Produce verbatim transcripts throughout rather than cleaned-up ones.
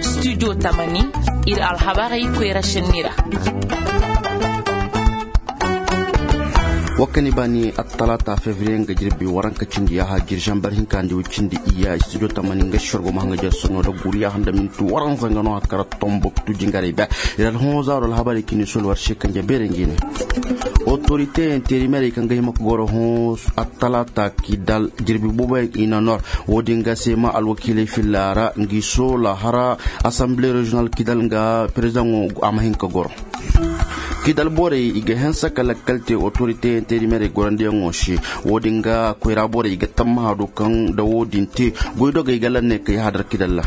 Studio tamani, ir alhabarey koyra šenni ra. Wa kani baani attalaata fevriye nga jirbi waranka cindi yaaha jiri zambar hinka nda way cindi iya studio tamani nga si war go ma hanga jar sono da guri yaaha nda minti waranza nga no a kara tomboktu jingarey be. Ir alhonza do alhabarey kini sol war se kanje beere ngi ne. Otorite interimerey kaŋ ga hima ka goro hõ attalaata kidal jirbi booboyaŋ i na nor. Wo-din ga se ma alwakiiley filla ra ngi soola hara asamble reziyonal kidal nga perezidaŋo a ma hin ka goro. Kidal borey i ga hanse ka lakkal te otorite interimerey gorandiyaŋo se. Wo-din ga koyra borey i ga tammaha do kaŋ nda wo-din te goydogey ga lanney ka yahadar kidal ra.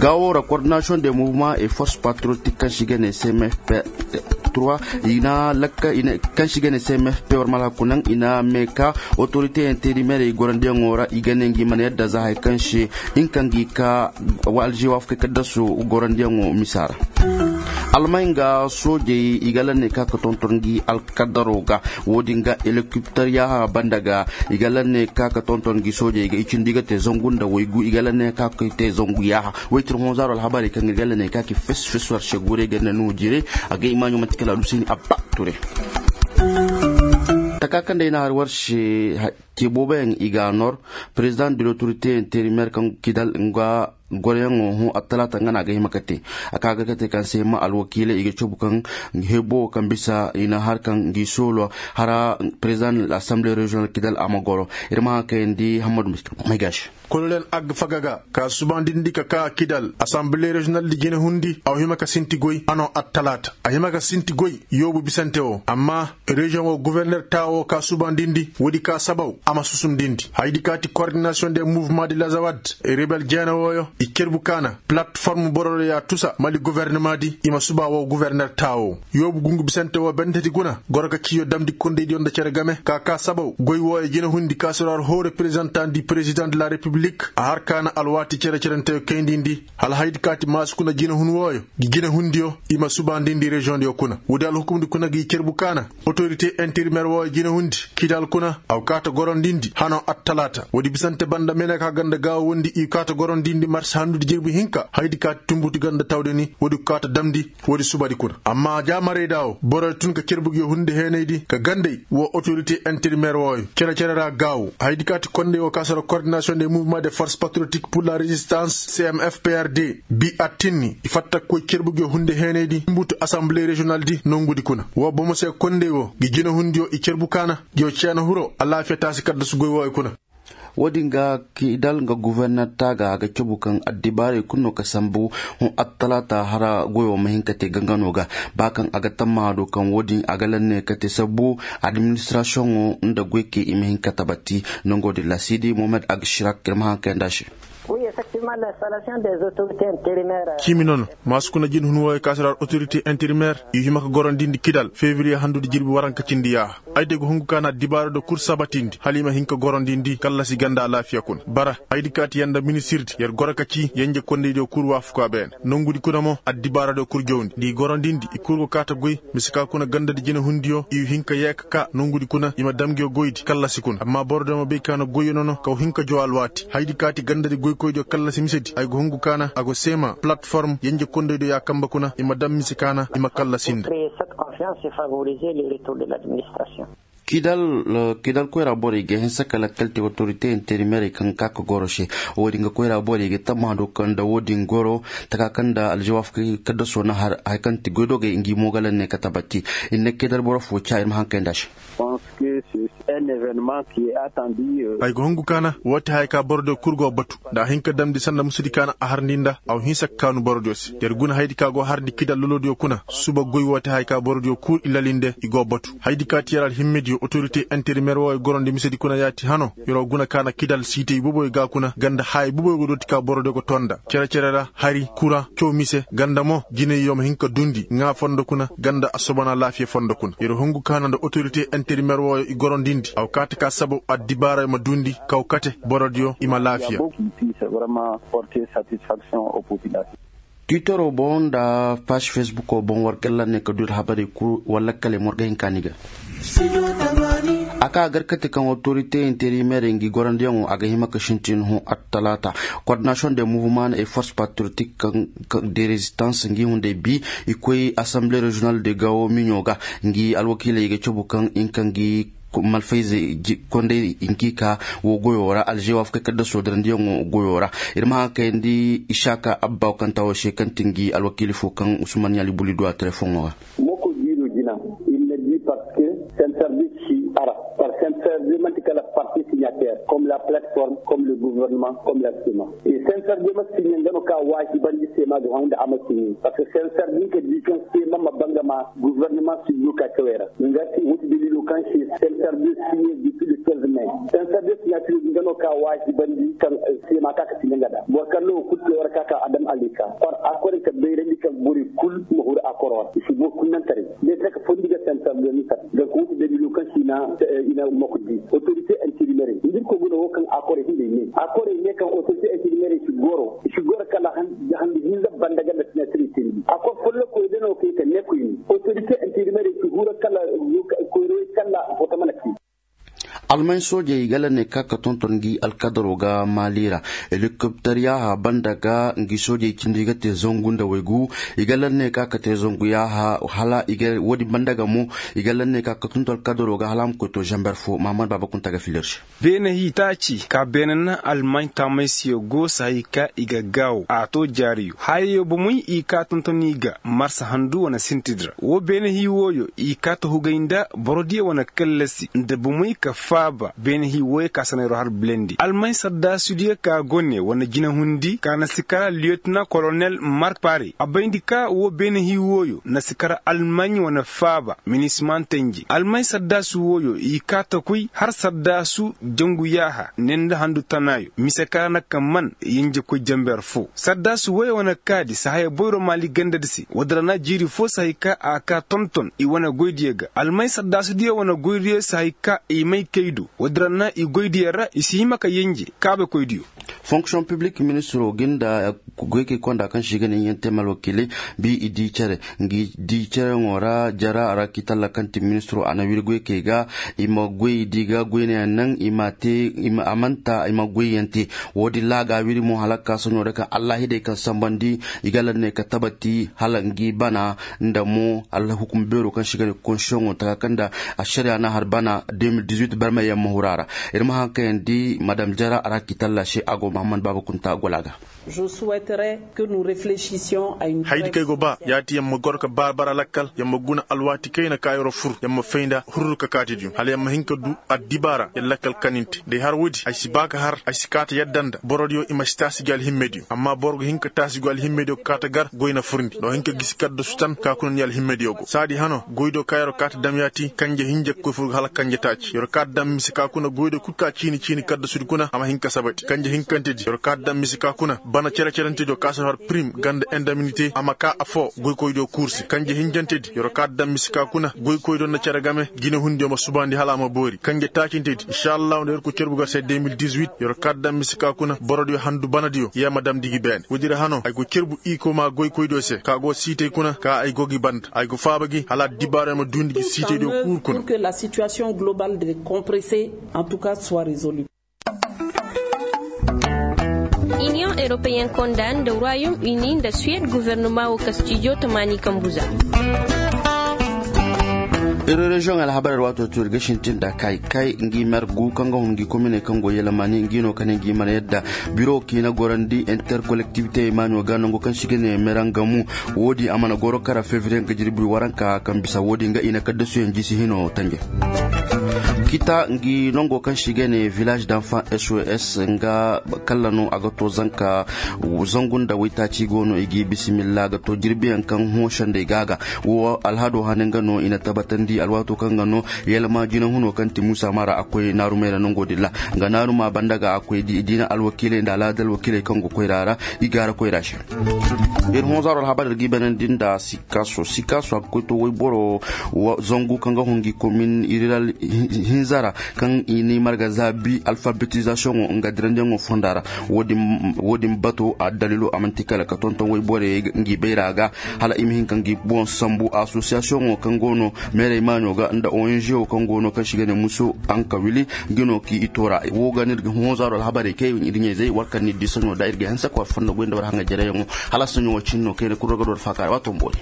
Gaawo ra kordinasiyoŋ de muvuma e forse patriyotik kaŋ se i ga ne cmfp trois, i na lakka kaŋ se i ga ne cmfp war malhaku naŋ i na mee ka otoriteyaŋ teerimerey gorandiyaŋo ra i ga ne ngi mana yadda za hay kaŋ se hinka ngi ka alžewaafakey kaddaso gorandiyaŋo misa ra. Almay nga soojey i ga lanney ka ka tonton ngi alkadaro ga. Wo-din ga elekiptar yaaha banda ga i ga lanney ka ka tonton ngi soojey ga i cindi ga te zangu nda waygu i ga lanney ka ka te zangu yaaha. Waytir honzaaro alhabarey kaŋ ir ga lanney ka ka fes fes war se guurey ga nda nuujirey. A ga i maaɲo manti kala aluseeni abba ture. Taka kaŋ day na har war se. Te booboyaŋ i ga a nor. Perezidaŋ de lotorite interimer kaŋ kidal nga goroyaŋo hõ attalaata nga no a ga hima ka te. A ka ga ka te kaŋ se ma alwakiiley i ga cabu kaŋ hebo kaŋ bisa i na har kaŋ ngi soolo hara perezidaŋ de asamble reziyonal kidal a ma goro. Ir ma haŋ kayandi hammadu maygaaši. Kolonel agfaga ga ka subandindi ka ka kidal asamble reziyonal di jine hundi a wa hima ka sinti goy hano attalaata a hima ka sinti goy yoobu bisante wo amma reziyoŋ wo guverner taawo ka subandindi woodi ka sabaw a ma susumdindi haydi ka ti kordinasiyoŋ de muvuma de lazawad rebel jeene wooyo i cerbu kaana palatform bororo ya tusa mali guvernema di i ma suba wo guverner taawo yoobu gungu bisante wo benteti guna goro ka ciiyo damndi kondeydiyo nda cere game ka ka sabaw goy wooyo jine hundi ka soro har hoo reperezantan di perezidaŋ de la repiblik a har kaana alwaati cere cerenteyo kayndi ndi hala haydi ka ti maasu kuna jine hun wooyo gi jine hundiyo i ma subandindi reziyoŋdiyo kuna woodi alhukumndi kuna gi cerbu kaana otorite interimer wooyo jine hundi kidal kuna a wa kaata gorondindi hano attalaata woodi bisante banda mene ka ganda gaawo wondi i kaata gorondindi marse handudi jirbi hinka haydi kaati tumbuti ganda tawde ni woodi kaata damndi woodi subadi kuna amma jaamarey da wo boroyo tun ka cerbugiyo hunde heenaydi ka gandey wo otorite interimer wooyo cere-cere ra gaawo haydi kaati kondey wo ka soro kordinasiyoŋ de muvuma de forse patriotik pur la rezistans cmfprd bi attinni i fatta koy cerbugiyo hunde heenaydi mbutu asamble reziyonal di nongudi kuna wo bomo se kondey wo gi jine hundiyo i cerbu kaana yo ceena huro alaafiya taasi kaddasu goy wooyo kuna. Wo-din ga kidal nga guverner taaga a ga cabu kaŋ addibaarey kulu no ka sambu hõ attalaata hara goyo ma hin ka te gangano ga ba kaŋ a ga tammaha do kaŋ wo-din a ga lanne ka te sabbu administirasiyoŋo nda goykey i ma hin ka tabati. Nango din ra siidi mohamed agshirak ir ma haŋ kayandi a se. Ciimi nono. Maasukuna jin hun wooyo ka si ra otorite interimer i hima ka gorondindi kidal fevriye handudi jirbi waranka cindi yaaha. Ay de go hungu ka na dibaara do kul sabatindi hala i ma hin ka gorondindi kallasi ganda alaafiya kuna bara. Ay di kaati yanda minisirdi yer goro ka ci yenje kondeydiyo kul waafuka beene nongudi kuna mo addibaara do kul jawndi nda i gorondindi i kul go kaata goy. Mise ka kuna gandadi jinehundiyo i hin ka yee ka kaa nongudi kuna i ma dam nguyo goydi kallasi kuna amma borodiyo ma bay ka na goyyo nono ka wa hin ka jaw alwaati haydi kaati gandadi goykoydiyo kallasi misedi ay go hungu ka na a go seema palatform yenje kondeydiyo ya kambe kuna i ma dam mise ka na i ma kallasi nda. Kidal koyra borey ga hinsa kala kalte otorite interimerey kaŋ ga ka ka goro se. Wo-din ga koyra borey ga tammaha do kaŋ nda wo-din goro taka kaŋ nda aljawaaf kaddaso na har haya kaŋ ti goydogey ngi mo ga lanne ka tabati. Ir na kidal boro fo ca ir ma haŋ kay nda a se. Ay ga hungu ka na wo ti haya ka borodiyo kul go batu nda a hin ka damndi sanda musudi ka na a harndi nda a wa hinsa ka kaanu borodiyo se. Yer guna hayadi ka go harndi kidal lolodiyo kuna suba goy wo ti haya ka borodiyo kul i lali nde i go batu. Hayadi ka ti yer alhimmediyo otorite interimer wooyo gorondi misedi kuna ya ti hano. Yer wo guna ka na kidal siitey boboyo ga kuna ganda haya boboyo go dooti ka borodiyo go tonda cere-cere ra hari kura caw mise ganda mo jiney yo ma hin ka dundi ŋaa fondo kuna ganda a sobana laafiya fondo kuna yer hungu ka na nda otorite interimer wooyo i gorondindi a wa kaati ka sabaw addibaarayo ma dundi kaw kate borodiyo i ma laafiya. Twittero boŋ nda paasi fesbuko boŋ war kalla ne ka du ir habarey kul walla kale mo war ga hin ka ni ga. Ka gar kate kaŋ otorite interimeerey ngi gorandiyaŋo a ga hima ka sintin hõ attalaata. Kordinasiyoŋ de muvuma na e force patriotik de rezistans ngi hunday bi i koy asamble reziyonal de gawo miɲo ga. Ngi alwakiiley ga cabu kaŋ hinka ngi malfayze konday hinka i ka wo goyo ra alzewa fukay kadda soodarandiyaŋo goyo ra. Ir ma haŋ kayandi isaka abba kaŋ ta wo se kaŋ ti ngi alwakiili fo kaŋ usman yali buli du a telefoŋo ga. Moko diiro jina ir na di parceque sensarbis si ara. Par sensarbis manti kala parti signater comme la plateforme comme le gouvernement comme la sima. Sensarbis ma signe nga no ka waajibandi sema ga honda a ma signe parceque sensarbis ka di kaŋ sema ma banga ma gouvernement si du ka cawera. Nga si wuti dalilo kaŋ si sensarbis signe di pili tolz mai sensarbis signater nga no ka waajibandi kaŋ sema ka ka signe nga da boro kaŋ no kutte wara ka ka adam alika. Par a kore ka bayrandi kaŋ bori kul ma huru a koro wara i si boro kul naŋ taray. Day taka fondi ga sensarbis ni sar. Ga kuutu dalilo kaŋ si na ina mokodi otorite interimeerey ndir ko guna wo kaŋ a kore hinday ne a kore ne kaŋ otorite interimeerey si goro i si goro kala handu hinza banda ganda sina siri tindi a kor follo koy dano kay ka ne koy ni otorite interimeerey si hura kala koyro kala foto mana ki. Almay soojey i ga lanne ka ka tonton ngi alkadaro ga maali ra. Helikopter yaaha banda ga ngi soojey cindi ga te zangu nda waygu. I ga lanne ka ka te zangu yaaha hala woodi banda ga mo. I ga lanne ka ka tonton alkadaro ga hala a ma koy to zamber fo mahamad baaba kunta ga filir se. Beene hii taaci ka beene na almay taamay siyo go sahay ka i ga gaawo a to jaariyo hayayo bomey i ka tonton i ga marsa handu wane sintidi ra wo beene hii wooyo i ka ta hugay nda borodiyo wane kallasi nda bomey ka faaba beene hii wooyo ka sanayro har bilendi almay sardaasudiyo ka go ne wane jinahundi ka na si kara liyotina kolonel mark pare a bayndi ka wo beene hii wooyo na si kara almay wane faaba minisman tenji almay sardaasu wooyo i ka ta koy har sardaasu jangu yaaha ne nda handu tanaayo mise ka na ka man yenjekoy jamber fo sardaasu wooyo wane kaadi sahaya boyro maali gandadi se woodi ra na jiiri fo sahay ka a ka tonton i wane goydiyo ga almay sardaasudiyo wane goydiyo sahay ka i may kay do woodi ra na i goydiyo ra i si hima ka yenje kaabekoydiyo. Fonksiyoŋ piblik ministiro ga nda goykey konda kaŋ se i ga ne i yaŋ te malwakiiley bi i di cere ngi di cereyaŋo ra jara a ra k'i talla kaŋ ti ministiro a na wiri goykey ga i ma goy di ga goynayaŋ naŋ i ma a manta i ma goyyaŋ te. Woodin ra a ga a wiri mo hala ka ka soɲo ra kaŋ allahidey kaŋ sambandi i ga lanne ka tabati hala ngi bana nda mo alhukum beero kaŋ se i ga ne konsiyoŋo taka kaŋ nda ašariya na har bana de mil dizuit barmey yaŋ ma huru a ra. Ir ma haŋ kaŋ yaŋ di madam jara a ra k'i talla se a go mahammad baaba kunta gola ga. Haydi kaŋ ay go ba ya ti yaŋ ma goro ka baabara lakkal yaŋ ma guna alwaati kayna ka yer'o fur yaŋ ma fayda hurru ka kaati diyo hala yaŋ ma hin ka du addibaara yaŋ lakkal kaninte day har woodi ay si ba ka har ay si kaata yadda nda borodiyo i ma si taasi gi alhimmediyo amma boro ga hin ka taasi gi alhimmediyo ka kaata gar goy na furndi nda wo hin ka gisi kaddasu tan ka kuna ni alhimmediyo go saadi hano goydiyo ka yer'o kaata dam ya ti kanje hinja ga koy fur ga hala kanje taaci yer'o kaata dam mise ka kuna goydiyo kul ka ciini ciini kaddasudi kuna a ma hin ka sabati kanje hinkantedi yer'o kaata dam mise ka kuna bana cere-cerentediyo ka si har prim ganda indaminite a ma ka affoo goykoydiyo kuur se kanje hinjantedi yer'o kaata dam mise ka kuna goykoydiyo nda cere game jinehundiyo ma subandi hala a ma boori kanje taacintedi inšallahu nda yer'o koy cerbu gar se de mil dizuit yer'o kaata dam mise ka kuna borodiyo handu banadiyo yee ma damndi gi beene woodi ra hano ay go cerbu iiko maa goykoydiyo se ka go siitey kuna ka ay go gi banda ay go faaba gi hala addibaarey ma duundi gi siiteydiyo kuur kuna. Iniyoŋ eropeyen konda nda royom uni nda suwed gofornoma woo kastijo tamaani kambu za. Iri reziyoŋ alhabar ir waato tuuri ga sintin nda kay kay ngi mer gu kaŋ ga hun ngi kominey kaŋ go yelemaani ngi no kane ngi mana yadda biro kiina gorandi interkolektibite maaɲo ga nango kaŋ si ga ne merangamu. Woodi a mana goro kara fevriye nga jirbi waranka kaŋ bisa woodi nga i na kaddasuyaŋ jisi hino tanje. Kita ngi nongo kaŋ si ga ne village d'enfant sos nga kalla no a ga to zanka zangu nda waytaaci go no i ga i bisimilla ga to jirbiyaŋ kaŋ hõ sendey ga ga wo alhado hane nga no i na tabatandi alwaato kaŋ ga no yalma jinahuno kaŋ ti muusa mara a koy naarumey ra nongo din ra nga naaruma banda ga a koy diina alwakiiley nda alaada alwakiiley kaŋ go koyra ra i gaara koyra se. Ir hõ zaaro alhabar ir ga i banandi nda sikaaso sikaaso a ga koy to wayboro zangu kaŋ ga hun ngi komin iriral Zara kaŋ i ni marga zaabi alfabetizasiyoŋo nga dirandiyaŋo fonda ra. Wo- din bato a dalilo a manti kala ka tonton woy borey ngi bayra ga hala i ma hin ka ngi boŋ sambu asosiyasiyoŋo kaŋ go no meerey maaɲo ga nda ong wo kaŋ go no kaŋ se i ga ne muso ankawili. Ngi no ka i toora wo ga ni honzaaro alhabarey kay i diɲey zey war kaŋ ni di saɲo da ir ga hanse ka war fonda goy nda war haŋa jareyaŋo. Hala saɲo wo cin no kayna kul ra ga do war faakaara waato mboori.